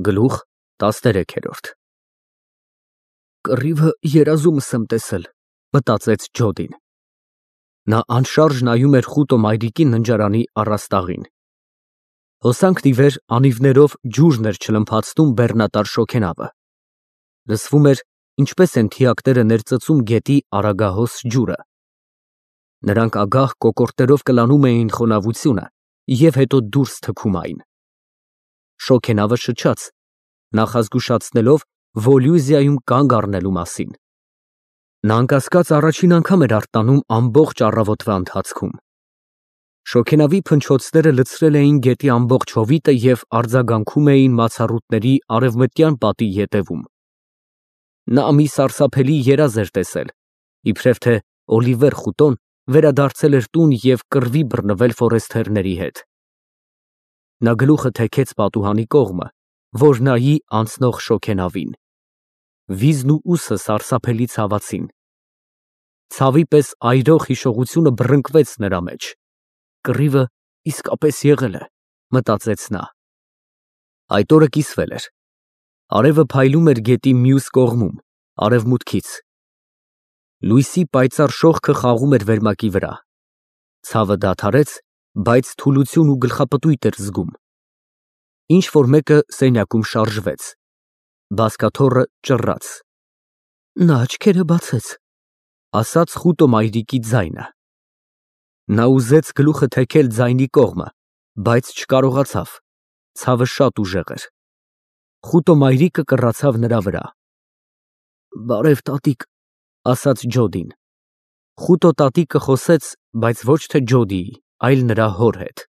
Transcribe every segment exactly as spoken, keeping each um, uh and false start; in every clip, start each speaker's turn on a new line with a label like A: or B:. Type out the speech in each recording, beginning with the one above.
A: Գլուխ տասներեք։ Կռիվը երազումս եմ տեսել, մտածեց Ջոդին։ Նա անշարժ նայում էր խուտո մայրիկի ննջարանի առաստաղին։ Հոսանքն ի վեր անիվներով ջուրն էր չլմփացնում բեռնատար շոգենավը։ Լսվում էր, ինչպես են թիակները ներծծում գետի արագահոս ջուրը։ Նրանք ագահ կոկորդերով կլանում էին խոնավությունը և հետո դուրս թքում այն։ Շոգենավը շչաց, նախազգուշացնելով Վոլյուզիայում կանգ առնելու մասին։ Նա անկասկած առաջին անգամ էր արտանում ամբողջ առավոտվա ընթացքում։ Շոգենավի փնչոցները լցրել էին գետի ամբողջ հովիտը և արձագանքում էին մացառուտների արևմտյան պատի ետևում։ Նա մի սարսափելի երազ էր տեսել, իբրև թե Օլիվեր խուտոն վերադարձել էր տուն և կռվի բռնվել ֆորեստերների հետ։ Նա գլուխը թեքեց պատուհանի կողմը, որ նայի անցնող շոգենավին։ Վիզն ու ուսը սարսափելի ցավացին։ Ցավի պես այրող հիշողությունը բռնկվեց նրա մեջ։ Կռիվը իսկապես եղել է, մտածեց նա։ Այդ օրը կիսվել էր։ Արևը փայլում էր գետի մյուս կողմում, արևմուտքից։ Լույսի պայծառ շողքը խաղում էր վերմակի վրա։ Ցավը դադարեց, բայց թուլություն ու գլխապտույտ էր զգում։ Ինչ֊որ մեկը սենյակում շարժվեց։ Բազկաթոռը ճռռաց։ Նա աչքերը բացեց, ասաց խուտո մայրիկի ձայնը։ Նա ուզեց գլուխը թեքել ձայնի կողմը, բայց չկարողացավ, ցավը շատ ուժեղ էր։ Խուտո մայրիկը կռացավ նրա վրա։ Բարև, տատիկ, ասաց Ջոդին։ Խուտո տատիկը խոսեց, բայց ոչ թե Ջոդիի, այլ նրա հոր հետ։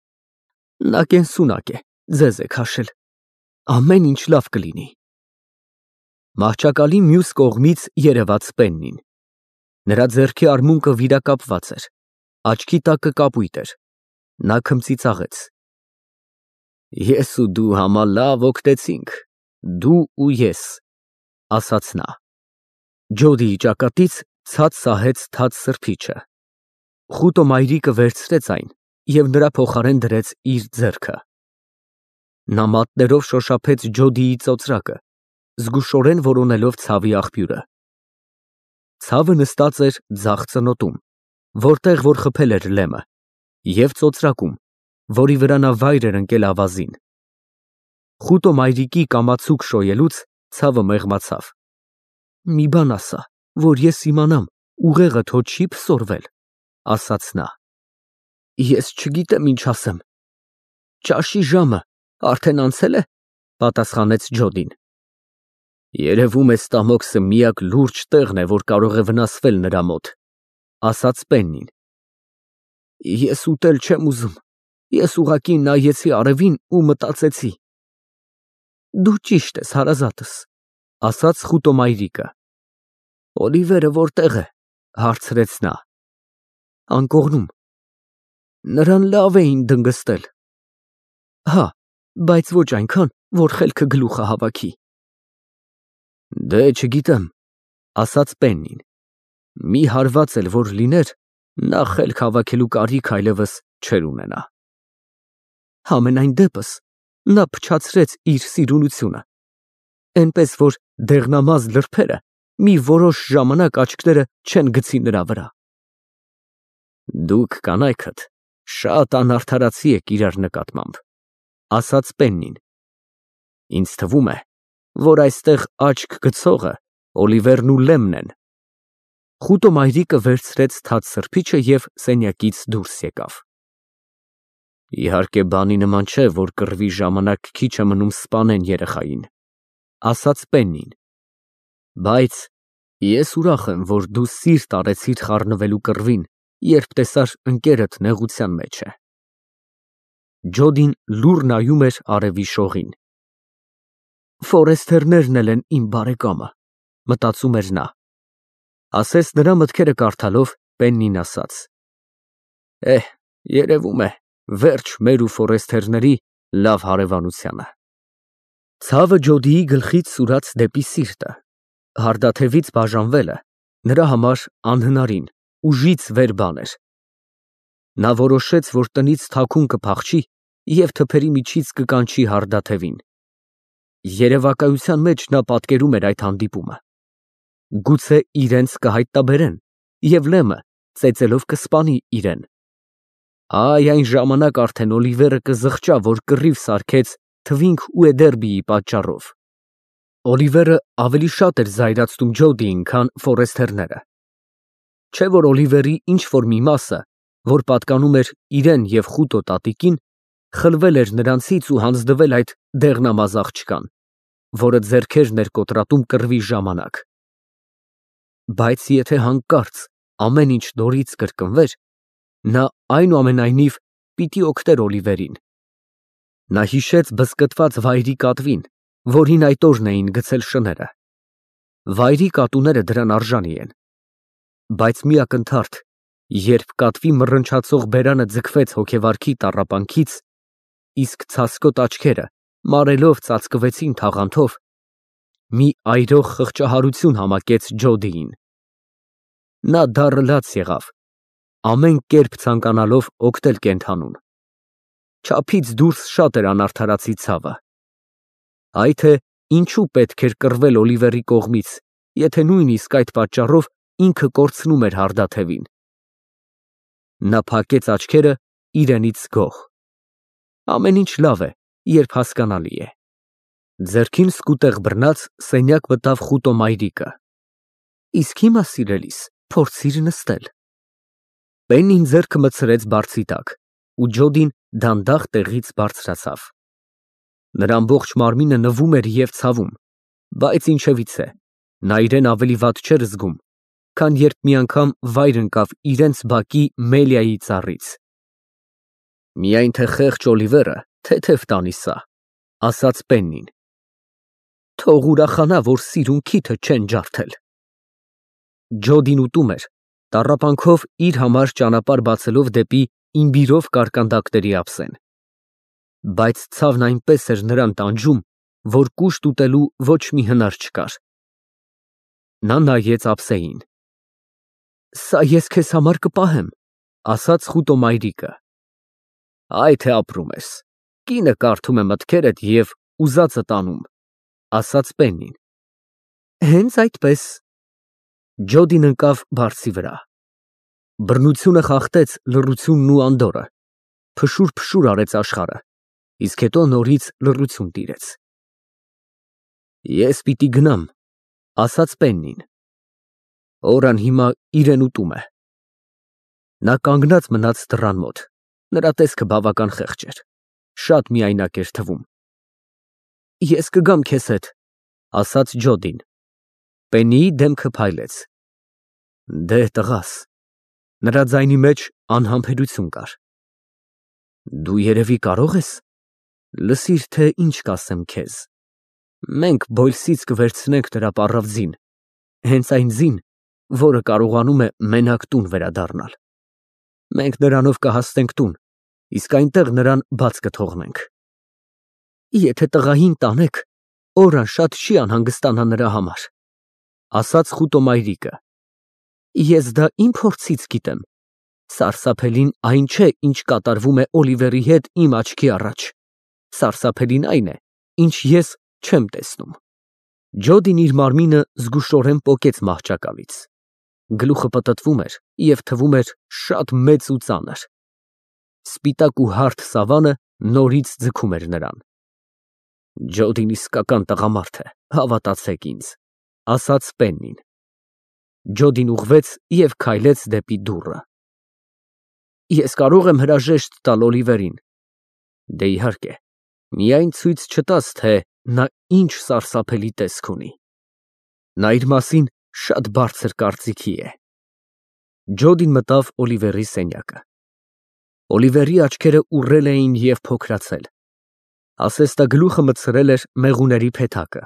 A: Նա կենսունակ է, ձեզ է քաշել։ Ամեն ինչ լավ կլինի։ Մահճակալի մյուս կողմից երևաց Պեննին։ Նրա ձեռքի արմունկը վիրակապված էր, աչքի տակը կապույտ էր։ Նա քմծիծաղեց։ Ես ու դու համալավ օգտեցինք, դու ու ես, ասաց նա։ Ջոդիի ճակատից ցած սահեց թաց սրբիչը։ Խուտո մայրիկը վերցրեց այն և նրա փոխարեն դրեց իր ձեռքը։ Նա մատներով շոշափեց Ջոդիի ծոծրակը, զգուշորեն որոնելով ցավի աղբյուրը։ Ցավը նստած էր ձախ ծնոտում, որտեղ որ խփել էր լեմը, և ծոծրակում, որի վրա նա վայր էր ընկել ավազին։ Խուտո մայրիկի կամացուկ շոյելուց ցավը մեղմացավ։ Մի բան ասա, որ ես իմանամ, ուղեղդ հո չի փսորվել, ասաց նա։ Ես չգիտեմ ինչ ասեմ։ Ճաշի ժամը արդեն անցե՞լ է, պատասխանեց Ջոդին։ Երևում է ստամոքսը միակ լուրջ տեղն է, որ կարող է վնասվել նրա մոտ, ասաց Պեննին։ Ես ուտել չեմ ուզում, ես ուղղակի նայեցի արևին ու մտածեցի։ Դու ճիշտ ես, հարազատս, ասաց խուտո մայրիկը։ Օլիվերը որտե՞ղ է, հարցրեց նա։ Անկողնում։ Նրան լավ էին դնգստել։ Հա, բայց ոչ այնքան, որ խելքը գլուխը հավաքի։ Դե չգիտեմ, ասաց Պեննին։ Մի հարված էլ որ լիներ, նա խելք հավաքելու կարիք այլևս չէր ունենա։ Համենայն դեպս, նա փչացրեց իր սիրունությունը, էնպես որ դեղնամազ լրբերը մի որոշ ժամանակ աչքները չեն գցի նրա վրա։ Դուք կանայքդ շատ անարդարացի եք իրար նկատմամբ, ասաց Պեննին։ Ինձ թվում է, որ այստեղ աչք գցողը Օլիվերն ու Լեմն են։ Խուտո մայրիկը վերցրեց թաց սրբիչը և սենյակից դուրս եկավ։ Իհարկե բանի նման չէ, որ կռվի ժամանակ քիչ է մնում սպանեն երեխային, ասաց Պեննին։ Բայց ես ուրախ եմ, որ դու սիրտ արեցիր խառնվելու կռվին, երբ տեսար ընկերդ նեղության մեջ է։ Ջոդին լուռ նայում էր արևի շողին։ Ֆորեստերներն էլ են իմ բարեկամը, մտածում էր նա։ Ասես նրա մտքերը կարդալով, Պեննին ասաց. Էհ, երևում է, վերջ մեր ու ֆորեստերների լավ հարևանությանը։ Ցավը Ջոդիի գլխից սուրաց դեպի սիրտը։ Հարդաթևից բաժանվելը նրա համար անհնարին, ուժից վեր բան էր։ Նա որոշեց, որ տնից թաքուն կփախչի և թփերի միջից կկանչի հարդաթևին։ Երևակայության մեջ նա պատկերում էր այդ հանդիպումը։ Գուցե իրենց կհայտնաբերեն, և Լեմը ծեծելով կսպանի իրեն։ Այ այն ժամանակ արդեն Օլիվերը կզղջա, որ կռիվ սարքեց Թվինք Ուեդերբիի պատճառով։ Օլիվերը ավելի շատ էր զայրացնում Ջոդիին, քան Ֆորեսթերները։ Չէ՞ որ Օլիվերի ինչ-որ մի մասը, որ պատկանում էր իրեն և Խուտո տատիկին, խլվել էր նրանցից ու հանձնվել այդ դեղնամազ աղջկան, որը ձեռքերն էր կոտրատում կռվի ժամանակ։ Բայց եթե հանկարծ ամեն ինչ նորից կրկնվեր, նա այնուամենայնիվ պիտի օգներ Օլիվերին։ Նա հիշեց բզկտված վայրի կատվին, որին այդ օրն էին գցել շները։ Վայրի կատուները դրան արժանի են։ Բայց մի ակնթարթ, երբ կատվի մռնչացող բերանը ձգվեց հոգեվարքի տառապանքից, իսկ ցասկոտ աչքերը մարելով ծածկվեցին թաղանթով, մի այրող խղճահարություն համակեց Ջոդիին։ Նա դառը լաց եղավ, ամեն կերպ ցանկանալով օգնել կենդանուն։ Չափից դուրս շատ էր անարդարացի ցավը։ Այ թե ինչու պետք էր կռվել Օլիվերի կողմից, եթե նույնիսկ այդ պատճառով ինքը կորցնում էր հարդաթևին։ Նա փակեց աչքերը իրենից գոհ։ Ամեն ինչ լավ է, երբ հասկանալի է։ Ձեռքին սկուտեղ բռնած սենյակ մտավ Խուտո մայրիկը։ Իսկ հիմա, սիրելիս, փորձիր նստել։ Պեննին ձեռքը մտցրեց բարձի տակ, ու Ջոդին դանդաղ տեղից բարձրացավ։ Նրա ամբողջ մարմինը նվում էր և ցավում, բայց ինչևիցե, նա իրեն ավելի վատ չէր զգում, քան երբ մի անգամ վայր ընկավ իրենց բակի Մելիայի ծառից։ Միայն թե խեղճ Օլիվերը թեթև տանի սա, ասաց Պեննին։ Թող ուրախանա, որ սիրուն քիթը չեն ջարդել։ Ջոդին ուտում էր, տառապանքով իր համար ճանապարհ բացելով դեպի իմբիրով կարկանդակների ափսեն։ Բայց ցավն այնպես էր նրան տանջում, որ կուշտ ուտելու ոչ մի հնար չկար։ Նա նայեց ափսեին։ Սա ես քեզ համար կպահեմ, ասաց Խուտո մայրիկը։ Այ թե ապրում ես, կինը կարդում է մտքերդ և ուզածդ անում, ասաց Պեննին։ Հենց այդպես։ Ջոդին ընկավ բարձի վրա։ Բռնությունը խախտեց լռությունն ու անդորրը, փշուր֊փշուր արեց աշխարհը, իսկ հետո նորից լռություն տիրեց։ Ես պիտի գնամ, ասաց Պեննին։ Օրան հիմա իրեն ուտում է։ Նա կանգնած մնաց դռան մոտ, նրա տեսքը բավական խեղճ էր, շատ միայնակ էր թվում։ Ես կգամ քեզ հետ, ասաց Ջոդին։ Պեննիի դեմքը փայլեց։ Դե տղաս, նրա ձայնի մեջ անհամբերություն կար։ Դու երևի կարող ես։ Լսիր, թե ինչ կասեմ քեզ։ Մենք Բոյլսից կվերցնենք նրա պառավ ձին, հենց այն ձին, որը կարողանում է մենակ տուն վերադառնալ։ Մենք նրանով կհասնենք տուն, իսկ այնտեղ նրան բաց կթողնենք։ Եթե տղային տանեք, Օրան շատ չի անհանգստանա նրա համար, ասաց Խուտո մայրիկը։ Ես դա իմ փորձից գիտեմ։ Սարսափելին այն չէ, ինչ կատարվում է Օլիվերի հետ իմ աչքի առաջ։ Սարսափելին այն է, ինչ ես չեմ տեսնում։ Ջոդին իր մարմինը զգուշորեն պոկեց մահճակալից։ Գլուխը պտտվում էր և թվում էր շատ մեծ ու ծանր։ Սպիտակ ու հարթ սավանը նորից ձգում էր նրան։ Ջոդին իսկական տղամարդ է, հավատացեք ինձ, ասաց Պեննին։ Ջոդին ուղղվեց և քայլեց դեպի դուռը։ Ես կարող եմ հրաժեշտ տալ Օլիվերին։ Դե իհարկե, միայն ցույց չտաս, թե նա ինչ սարսափելի տեսք ունի։ Նա իր մասին շատ բարձր կարծիքի է։ Ջոդին մտավ Օլիվերի սենյակը։ Օլիվերի աչքերը ուռել էին և փոքրացել։ Ասեստագլուխը մտցրել էր մեղուների փեթակը։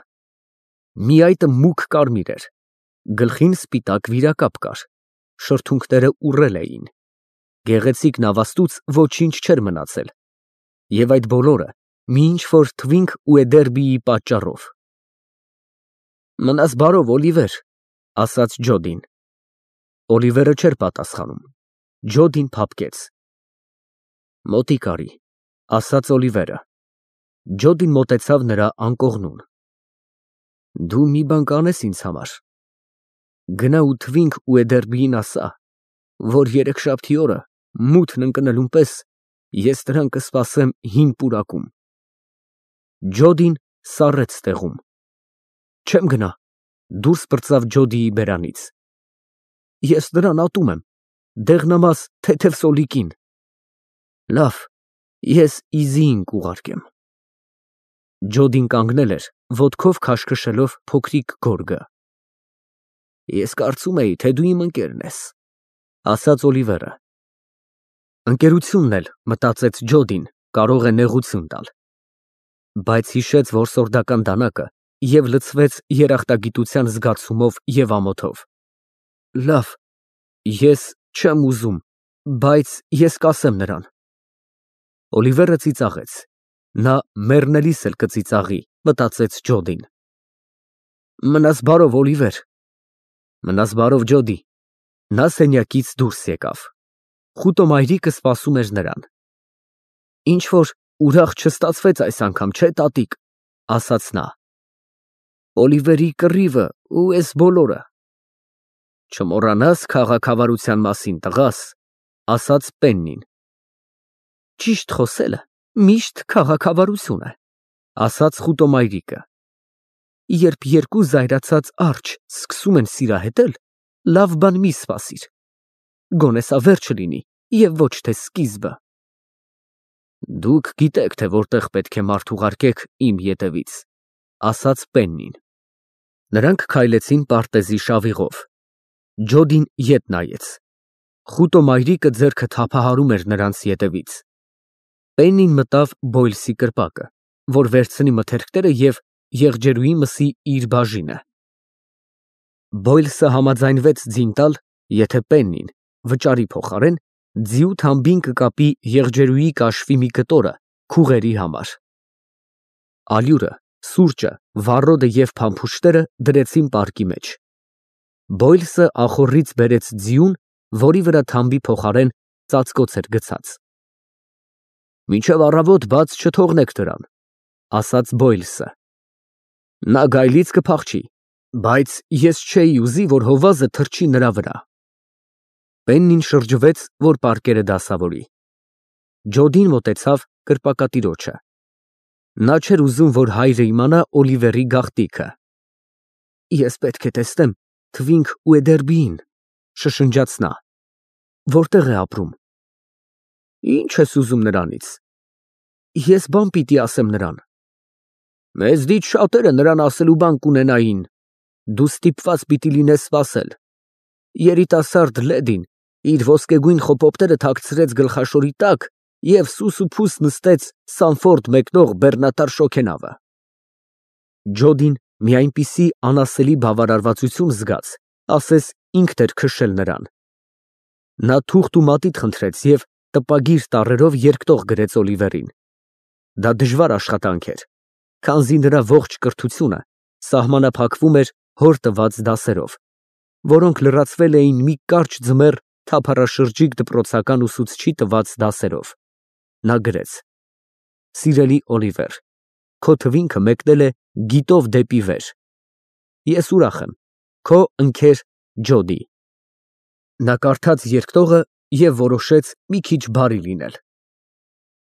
A: Միայտը մուգ կարմիր էր, գլխին սպիտակ վիրակապ կար, շրթունքները ուռել էին։ Գեղեցիկ նավաստուց ոչինչ չէր մնացել, և այդ բոլորը մի ինչ֊որ Թվինք Ուեդերբիի պատճառով։ Մնաս բարով, Օլիվեր, ասաց Ջոդին։ Օլիվերը չէր պատասխանում։ Ջոդին փափկեց։ Մոտիկ արի, ասաց Օլիվերը։ Ջոդին մոտեցավ նրա անկողնուն։ Դու մի բան կանես ինձ համար։ Գնա ու Թվինք ու Էդերբիին ասա, որ երեքշաբթի օրը մութն ընկնելուն պես ես նրան կսպասեմ հին պուրակում։ Ջոդին սառեց տեղում։ Չեմ գնա, դուրս պրծավ Ջոդիի բերանից։ Ես նրան ատում եմ, դեղնամաս թեթև սոլիկին։ Լավ, ես Իզիին կուղարկեմ։ Ջոդին կանգնել էր, ոտքով քաշքշելով փոքրիկ գորգը։ Ես կարծում էի, թե դու իմ ընկերն ես, ասաց Օլիվերը։ Ընկերությունն էլ, մտածեց Ջոդին, կարող է նեղություն տալ։ Բայց հիշեց որսորդական դանակը և լցվեց երախտագիտության զգացումով և ամոթով։ Լավ, ես չեմ ուզում, բայց ես կասեմ նրան։ Օլիվերը ծիծաղեց։ Նա մեռնելիս էլ կծիծաղի, մտածեց Ջոդին։ Մնաս բարով, Օլիվեր։ Մնաս բարով, Ջոդի։ Նա սենյակից դուրս եկավ։ Խուտո մայրիկը սպասում էր նրան։ Ինչ որ ուրախ չստացվեց այս անգամ, չէ, տատիկ, ասաց նա։ Օլիվերի կռիվը ու էս բոլորը։ Չմոռանաս քաղաքավարության մասին, տղաս, ասաց Պեննին։ Ճիշտ խոսելը միշտ քաղաքավարություն է, ասաց խուտո մայրիկը։ Երբ երկու զայրացած արջը սկսում են սիրահետել, լավ բան մի սպասիր։ Գոնե սա վերջը լինի և ոչ թե սկիզբը։ Դուք գիտեք, թե որտեղ պետք է մարդ ուղարկեք իմ ետևից, ասաց Պեննին։ Նրանք քայլեցին պարտեզի շավիղով։ Ջոդին ետ նայեց։ Խուտո մայրիկը ձեռքը թափահարում էր նրանց ետևից։ Պեննին մտավ Բոյլսի կրպակը, որ վերցնի մթերքները և եղջերուի մսի իր բաժինը։ Բոյլսը համաձայնվեց ձին տալ, եթե Պեննին, վճարի փոխարեն, ձիու թամբին կկապի եղջերուի կաշվի մի կտորը քուղերի համար։ Ալյուրը, սուրճը, վառոդը և փամփուշտները դրեցին պարկի մեջ։ Բոյլսը ախոռից բերեց ձիուն, որի վրա թամբի փոխարեն ծածկոց էր գցած։ Մինչև առավոտ բաց չթողնեք դրան, ասաց Բոյլսը։ Նա գայլից կփախչի, բայց ես չէի ուզի, որ հովազը թռչի նրա վրա։ Պեննին շրջվեց, որ պարկերը դասավորի։ Ջոդին մոտեցավ կրպակատիրոջը։ Նա չէր ուզում, որ հայրը իմանա Օլիվերի գաղտնիքը։ Ես պետք է տեսնեմ Թվինք ու Էդերբիին, շշնջաց նա։ Որտեղ է ապրում։ Ինչ ես ուզում նրանից։ Ես բան պիտի ասեմ նրան։ Մեզնից շատերը նրան ասելու բան կունենային։ Դու ստիպված պիտի լինես սպասել։ Երիտասարդ լեդին իր ոսկեգույն խոպոպտերը թաքցրեց գլխաշորի տակ և սուս ու փուս նստեց Սանֆորդ մեկնող բեռնատար շոգենավը։ Ջոդին մի այնպիսի անասելի բավարարվածություն զգաց, ասես ինքն էր քշել նրան։ Նա թուղթ ու մատիտ խնդրեց և տպագիր տառերով երկտող գրեց Օլիվերին։ Դա դժվար աշխատանք էր, քանզի նրա ողջ կրթությունը սահմանափակվում էր հոր տված դասերով, որոնք լրացվել էին մի կարճ ձմեռ թափառաշրջիկ դպրոցական ուսուցչի տված դասերով։ Նա գրեց. Սիրելի Օլիվեր, քո թվինքը մեկնել է գիտով դեպի վեր։ Ես ուրախ եմ, քո ընկեր Ջոդի։ Նա կարդաց երկտողը և որոշեց մի քիչ բարի լինել։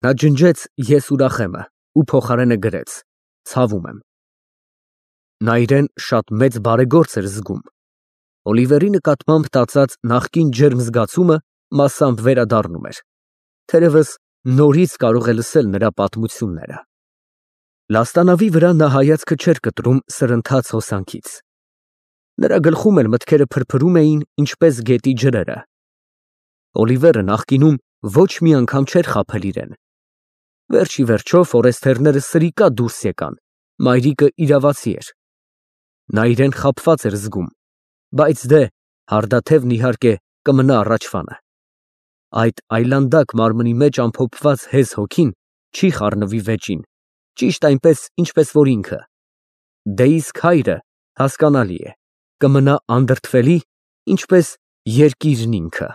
A: Նա ջնջեց ես ուրախ եմը ու փոխարենը գրեց. ցավում եմ։ Նա իրեն շատ մեծ բարեգործ էր զգում։ Օլիվերի նկատմամբ տածած նախկին ջերմ զգացումը մասամբ վերադառնում էր։ Թերևս նորից կարող է լսել նրա պատմությունները։ Լաստանավի վրա նա հայացքը չէր կտրում սրընթաց հոսանքից։ Նրա գլխում էլ մտքերը փրփրում էին, ինչպես գետի ջրերը։ Օլիվերը նախկինում ոչ մի անգամ չէր խաբել իրեն։ Վերջ ի վերջո ֆորեստերները սրիկա դուրս եկան, մայրիկը իրավացի էր։ Նա իրեն խաբված էր զգում, բայց դե, հարդաթևն իհարկե կմնա առաջվանը։ Այդ այլանդակ մարմնի մեջ ամփոփված հեզ հոգին չի խառնվի վեճին, ճիշտ այնպես, ինչպես որ ինքը։ Դե իսկ հայրը, հասկանալի է, կմնա անդրդվելի, ինչպես երկիրն ինքը։